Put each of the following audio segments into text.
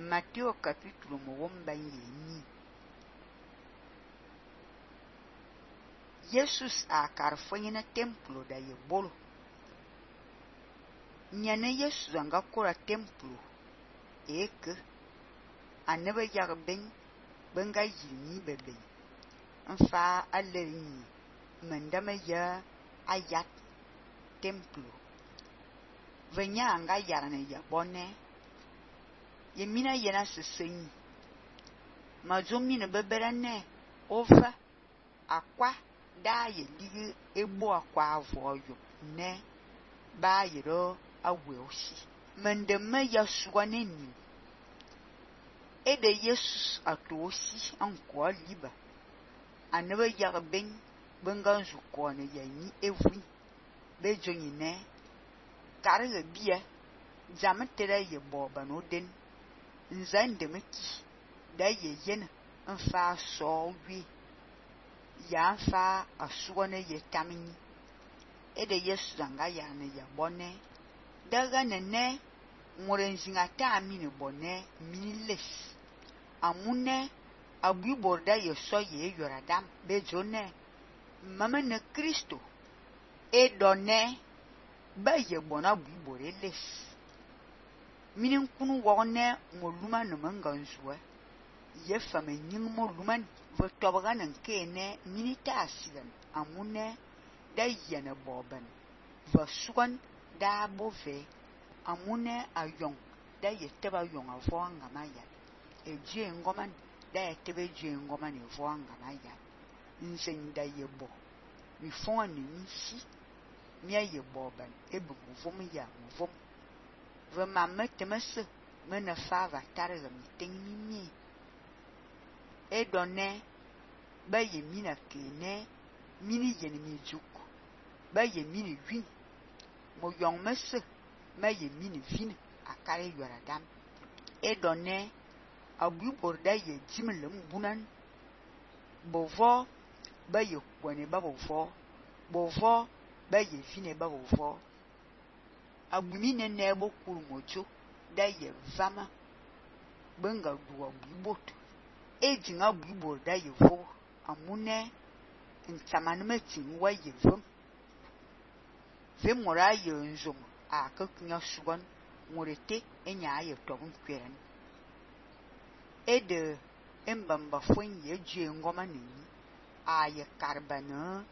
Matteo capítulo mwomba yenyi. Jesus a karfonye na templo da ye bolo. Nyane Jesus anga kora templo eke anebe yag ben benga yini bebe. Nfa alerni mendame ya ayat templo. Venya anga yarane ya bonne. Yemina yena sesenyi. Mazomine beberane ova akwa da ye ligi ebo akwa avoyo ne ba yero awe osi. Mendeme ya suwane ni. Ede Jesus ato osi anko liba. Anebe yag ben benganzu kone ya ni evri. Bejonyi ne karege bia zametere ye boba no den. Nzande meki da ye yen nfa so wi ya nfa asuone ye tamini. Ede Yesu zanga ya ne ya bonne daga ne morenzinga ta amine bonne miniles amune abu borda ye so ye yoradam bejone mama ne Kristo e donne ba ye bona bu boreles minin kunu wone moluma no manganzuwa ye fame nying moluman vo tobaga nan kene minita asigan amune da yene boban va sugan da bove amune ayong da ye teba yong avonga maya e je ngoman da ye tebe je ngoman e vonga maya nzen da ye bo mi fon ni nsi mi ye boban e bu vom ya vom ve mamme temese mena fava targa mi tengi mi e donne ba ye mina kene mini yene mi juk ba ye mini win mo yong mese ma ye mini vin akare yoradam e donne abu borda ye jimlem bunan bovo ba ye kwene ba bovo ba ye vine ba bovo agumine nebo kurmojo da ye vama benga duwa bibot e jinga bibo da ye vo amune ntamane metin wa ye ve mora ye nzom a kakunya sugan morete enya ye tobun kweren e de embamba fon ye je ngoma ni a ye karbana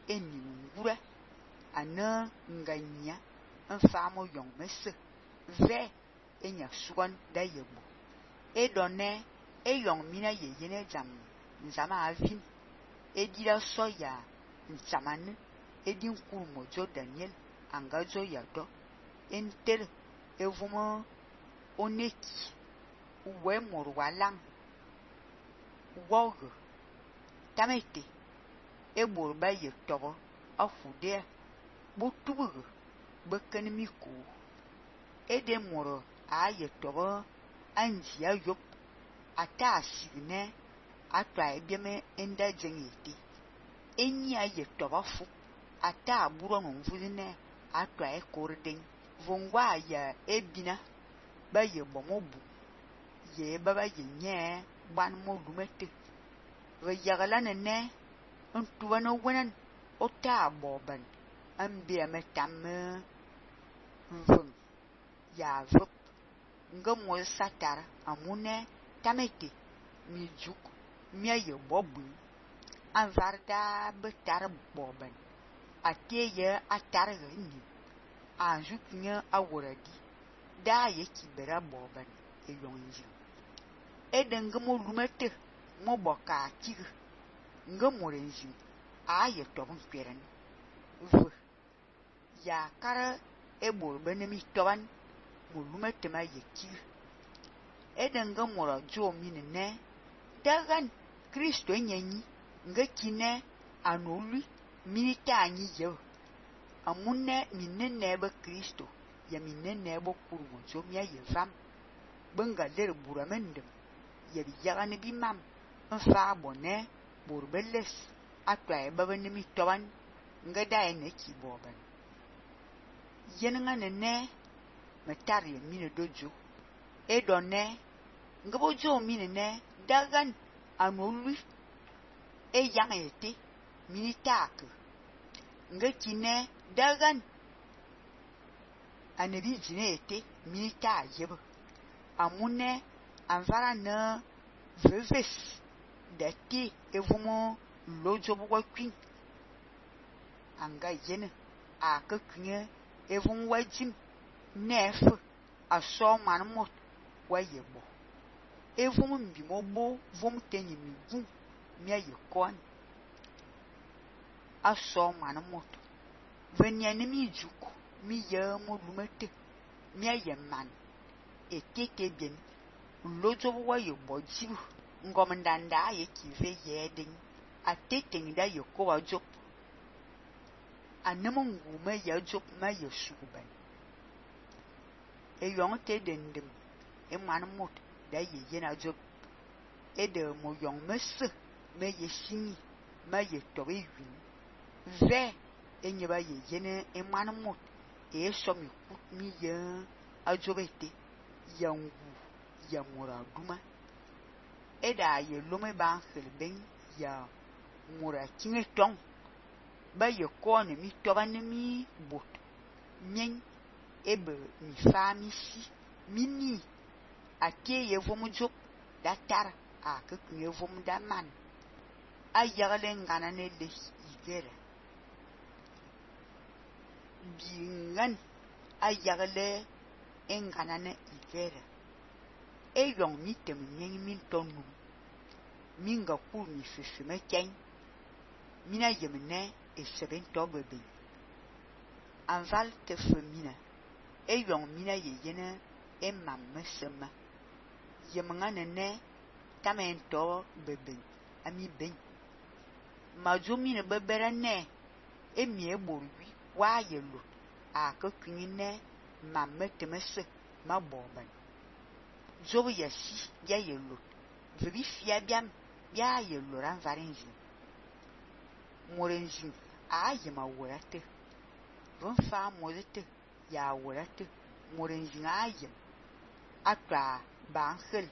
eni ngura ana nganya nfamo yong mese ve enya sugan da ye bo e donne e yong mina ye yene jam nzama avin e dira soya ntamane e din kurmo jo Daniel angazo ya do enter evumo oneki uwe moru walang wog tamete e borba ye tobo afude botubu beken miku ede moro aye tobo anji ayop ata signe atwa ebieme enda jengeti enyi aye tobo fu ata aburo mvuzine atwa ekorden vongwa ya ebina ba ye bomobu ye baba ye nye ban modumete ve yagala ne ntuwa no wenan ota boban ambia metamme vung ya vup ngamo satar amune tamete mi juk mi ye bobu anvarda betar boban ateye atarga ni anjuknya awuradi da ye kibera boban e yonji edengamo lumete mo boka tig ngamo renji aye tobun kweren vu ya kara ebor benemi toban mulumete ma yeki edenga mora jo minene dagan Kristo nyenyi ngakine anoli minita anyi je amune minene ba Kristo ya minene bo kurmo jo mi ye fam benga der buramendem ya bi yagane bi mam nfa bone borbeles atwa e baba nemi toban ngada ene ki boban yenanga ne metari mine dojo e donne Ngabo jo mine ne dagan anolu e yang ete militak ngakine dagan anabi jine ete milita yeb amune anvara na veves dati evumo lojo bwa kwin anga yene aka kwin evum wajim nef aso manmot wayebo evum mbimobo vom tenyi migu mia yekon aso manmot venyane mi juku mi yamo lumete mia yeman etete bien lojo bwa yebo jibu ngomndanda yekive yeding ateteng da yeko wajop anemungu ma yajop ma yesuban eyong te dendem emanmot da yena job ede mo yong mese me yesini ma yetobe yun ve enyeba yene emanmot esomi kut mi ye ajobete yangu yamura duma eda ye lome ban helben ya mura kinge tong ba ye kone mi toba ne mi bot nyen ebe mi fami si mini ate ye vom jop da tar a ke kunye vom da man a yagale ngana ne le igere bingan a yagale ngana ne igere e yong mi tem nyen min tonu minga ku mi fifi me ken mina yemne e seben tobebe anval te femina e yong mina yene e mamme sema yemnga ne tamento bebe ami ben majumi ne bebere ne e mi eborwi wa yelo a ka kwinne mamme temese maboban zobu yasi ya yelo vebi fia biam ya yelo ran varinji morenji a yema worate von fa modete ya worate morenji a yem atwa banhel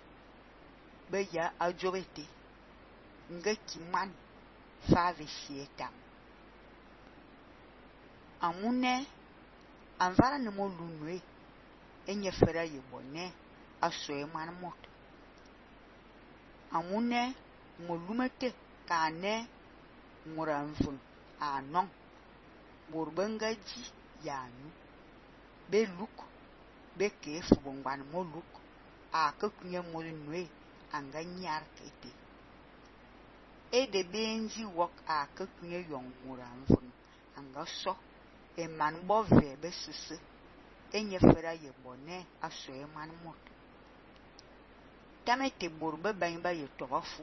be ya ajobete ngaki man fa ve sieta amune anvara ne mo lunwe enye fera yebone aso e man mot amune mo lumete kane muranvun anon borbangaji yanu be luk be kefu bongban mo luk a ka kunye mo nwe anga nyar kete e de benji wok a ka kunye yong muranvun anga so e man bo ve be sese enye fera yebone aso e man mot tamete borba ban ba ye tobafu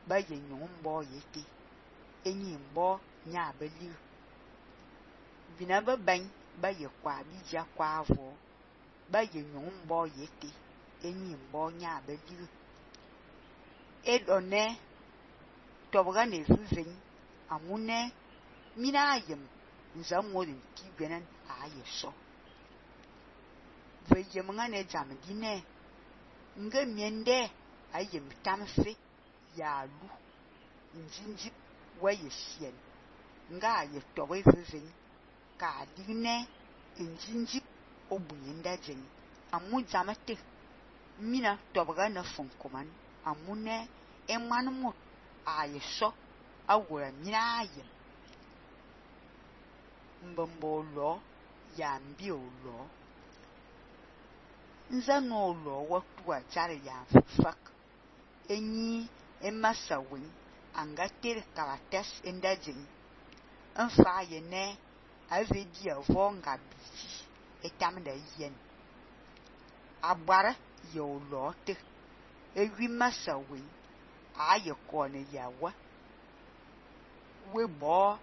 ba ye nyombo yete enyi mbo nya beli bina ba ban ba ye kwa bija kwa avo ba ye nyombo yete enyi mbo nya beli edone tobga ne vuven amune mina ayem nzamodin kigwenan ayeso ve yemnga ne jamdine nga miende ayem tamfe ya lu njinji waye sien nga ye towe vuven ka digne njinji obuyenda jen amu jamate mina tobga na fonkoman amune emanmot ayeso awura mina ayem mbombo lo ya mbio lo nzano lo watua jare ya fak enyi emasawin angatir karates endajin enfa yene avedi avonga bisi etamda yen abara yo lote ewi masawin aye kone yawa webo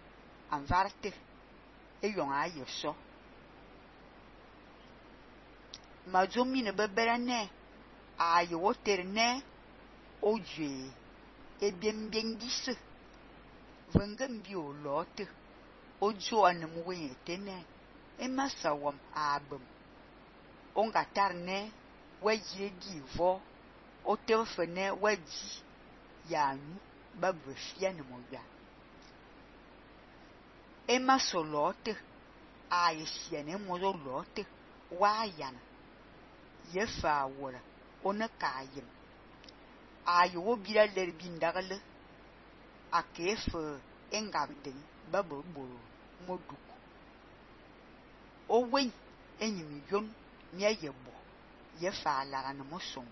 anvarte eyong aye so majomi ne bebere ne aye wotere ne oje ebiembien dise vengem bi o lote ojo anem wete ne emasawam abem onga tarne wajire di vo o te fene wadi ya nu ba befia ne mo ya ema solote a yesiene mo lote wa yana ye fa wora ona kayim a yo bira le bindagale a kefe engabden babo boro moduku o wen enyimi yon mi ayebo ye fa lara ne mo son